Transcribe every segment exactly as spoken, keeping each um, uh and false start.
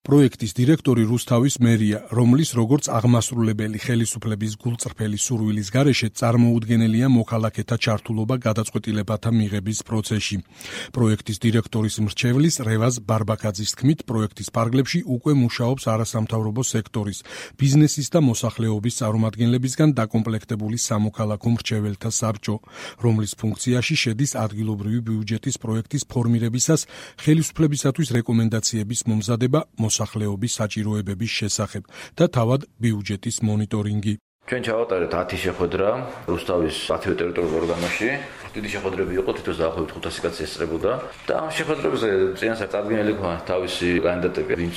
პროექტის დირექტორი რუსთავის მერია, რომლის როგორც აღმასრულებელი ხელისუფლების გულწრფელი სურვილის გარეშე წარმოუდგენელია მოქალაქეთა ჩართულობა გადაწყვეტილებათა მიღების პროცესში. პროექტის დირექტორის მრჩევლის რევაზ ბარბაკაძის თქმით, პროექტის ფარგლებში უკვე მუშაობს არასამთავრობო სექტორის, ბიზნესის და მოსახლეობის წარმომადგენლებისგან დაკომპლექტებული სამოქალაქო მრჩეველთა საბჭო, რომლის ფუნქციაში შედის ადგილობრივი ბიუჯეტის პროექტის ფორმირებისას ხელისუფლებისათვის რეკომენდაციების მომზადება მოსახლეობის საჭიროებების შესახებ და თავად ბიუჯეტის მონიტორინგი. ჩვენ ჩავატარეთ ათი შეხვედრა რუსთავის ათივე ტერიტორიულ ორგანოში. დიდი შეხვედრები იყო, თითოეულ დაახლოებით ხუთასი კაცი ესწრებოდა და ამ შეხვედრებზე წინასწარ წარდგენილი ქონა თავისი კანდიდატები, ვინც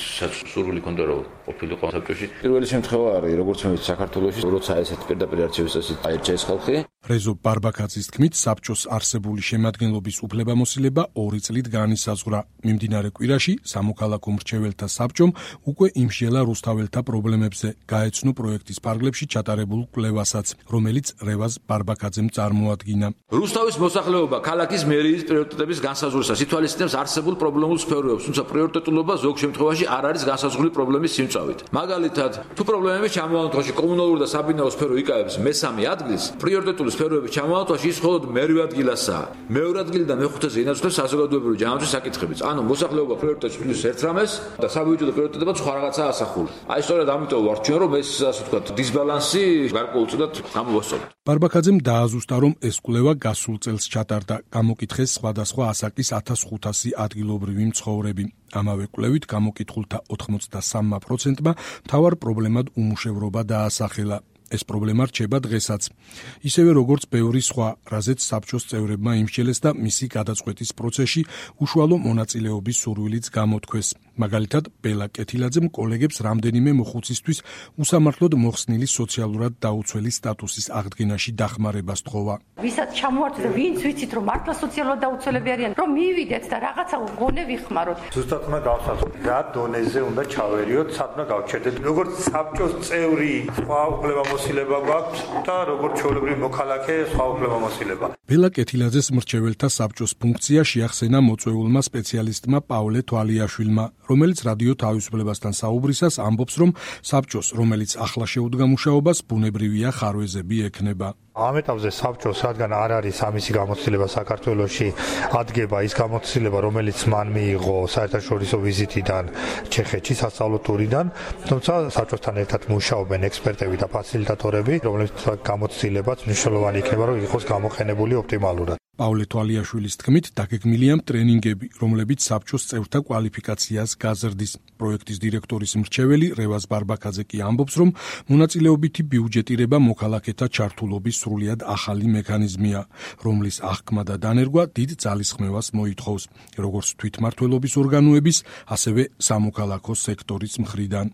სურვილი ჰქონდა რომ ყოფილიყო საბჭოში. პირველი შემთხვევა არის, როგორც მე საქართველოში, როცა ესეთ პირდაპირ არჩევის წესით აირჩიეს ხალხი. რეზო ბარბაკაძის თქმით, საბჭოს არსებული შემადგენლობის უფლებამოსილება ორი წლით განისაზღვრა. მიმდინარე კვირაში სამოქალაქო მრჩეველთა საბჭომ უკვე იმსჯელა რუსთაველთა პრობლემებზე, გაეცნო პროექტის ფარგლებში ჩატარებულ კვლევასაც, რომელიც რევაზ ბარბაკაძემ წარმოადგინა. რუსთავის მოსახლეობა ქალაქის მერიის პრიორიტეტების განსაზღვრისას ითვალისწინებს არსებულ პრობლემულ სფეროებს, თუმცა პრიორიტეტულობა ზოგ შემთხვევაში არ არის განსაზღვრული პრობლემის სიმწავით. მაგალითად, თუ პრობლემების ჩამოყალიბებაში კომუნალური და საბინაო სფერო იკავებს მესამე ადგილს, პრიორიტეტული სფეროების ჩამოყალიბებაში ის მხოლოდ მერვე ადგილასაა. მეორე ადგილი და მეხუთეზე ინაცვლებს საზოგადოებრივი ჯანმრთელობის საკითხებიც. ანუ მოსახლეობა პრიორიტეტს თვლის ერთ რამეს და საბიუჯეტო პრიორიტეტებად სხვა რაღაცაა ასახული. აი სწორედ ამიტომ ვარ ჩვენ რომ ეს ასე ვთქვათ დისბალანსი გარკვეულწილად გამოვასწოროთ. ბარბაკაძემ დააზუსტა, რომ ეს კვლევა გასულ წელს ჩატარდა, გამოკითხეს სხვადასხვა ასაკის ათას ხუთასი ადგილობრივი მცხოვრები. ამავე კვლევით გამოკითხულთა ოთხმოცდასამმა პროცენტმა მთავარ პრობლემად უმუშევრობა დაასახელა. ეს პრობლემა რჩება დღესაც. ისევე როგორც ბევრი სხვა, რაზეც საბჭოს წევრებმა იმსჯელეს და მისი გადაწყვეტის პროცესში უშუალო მონაწილეობის სურვილიც გამოთქვეს. მაგალითად, ბელა კეთილაძემ კოლეგებს რამდენიმე მოხუცისთვის უსამართლოდ მოხსნილი სოციალურად დაუცველი სტატუსის აღდგენაში დახმარება სთხოვა. ვისაც ჩამოვარდეთ და ვინც ვიცით რომ მართლა სოციალურად დაუცველები არიან, რომ მივიდეთ და რაღაცა გონე ვიხმაროთ. ზუსტად უნდა გავსაზრდოთ, რა დონეზე უნდა ჩავერიოთ, სათნა გავჩერდეთ. როგორც საბჭოს წევრი, სხვა უფლებამოსილება გვაქვს და როგორც ჩვეულებრივი მოქალაქე, სხვა უფლებამოსილება. ბელა კეთილაძეს მრჩეველთა საბჭოს ფუნქცია შეახსენა მოწვეულმა სპეციალისტმა პავლე თვალიაშვილმა, რომელიც რადიო თავისუფლებასთან საუბრისას ამბობს, რომ საბჭოს, რომელიც ახლა შეუდგა მუშაობას, ბუნებრივია ხარვეზები ექნება. ამ ეტაპზე საბჭოს, რადგან არ არის ამისი გამოცდილება საქართველოში, ადგება ის გამოცდილება, რომელიც მან მიიღო საერთაშორისო ვიზიტიდან ჩეხეთში სასწავლო ტურიდან, თუმცა საბჭოსთან ერთად მუშაობენ ექსპერტები და ფასილიტატორები, რომლებიც გამოცდილებაც მნიშვნელოვანი იქნება, რომ იყოს გამოყენებული ოპტიმალურად. პავლე თვალიაშვილის თქმით, დაგეგმილია ტრენინგები, რომლებიც საბჭოს წევრთა კვალიფიკაციას გაზრდის. პროექტის დირექტორის მრჩეველი რევაზ ბარბაკაძე კი ამბობს, რომ მონაწილეობითი ბიუჯეტირება მოქალაქეთა ჩართულობის სრულიად ახალი მექანიზმია, რომლის აღქმა და დანერგვა დიდ ძალისხმევას მოითხოვს, როგორც თვითმმართველობის ორგანოების, ასევე სამოქალაქო სექტორის მხრიდან.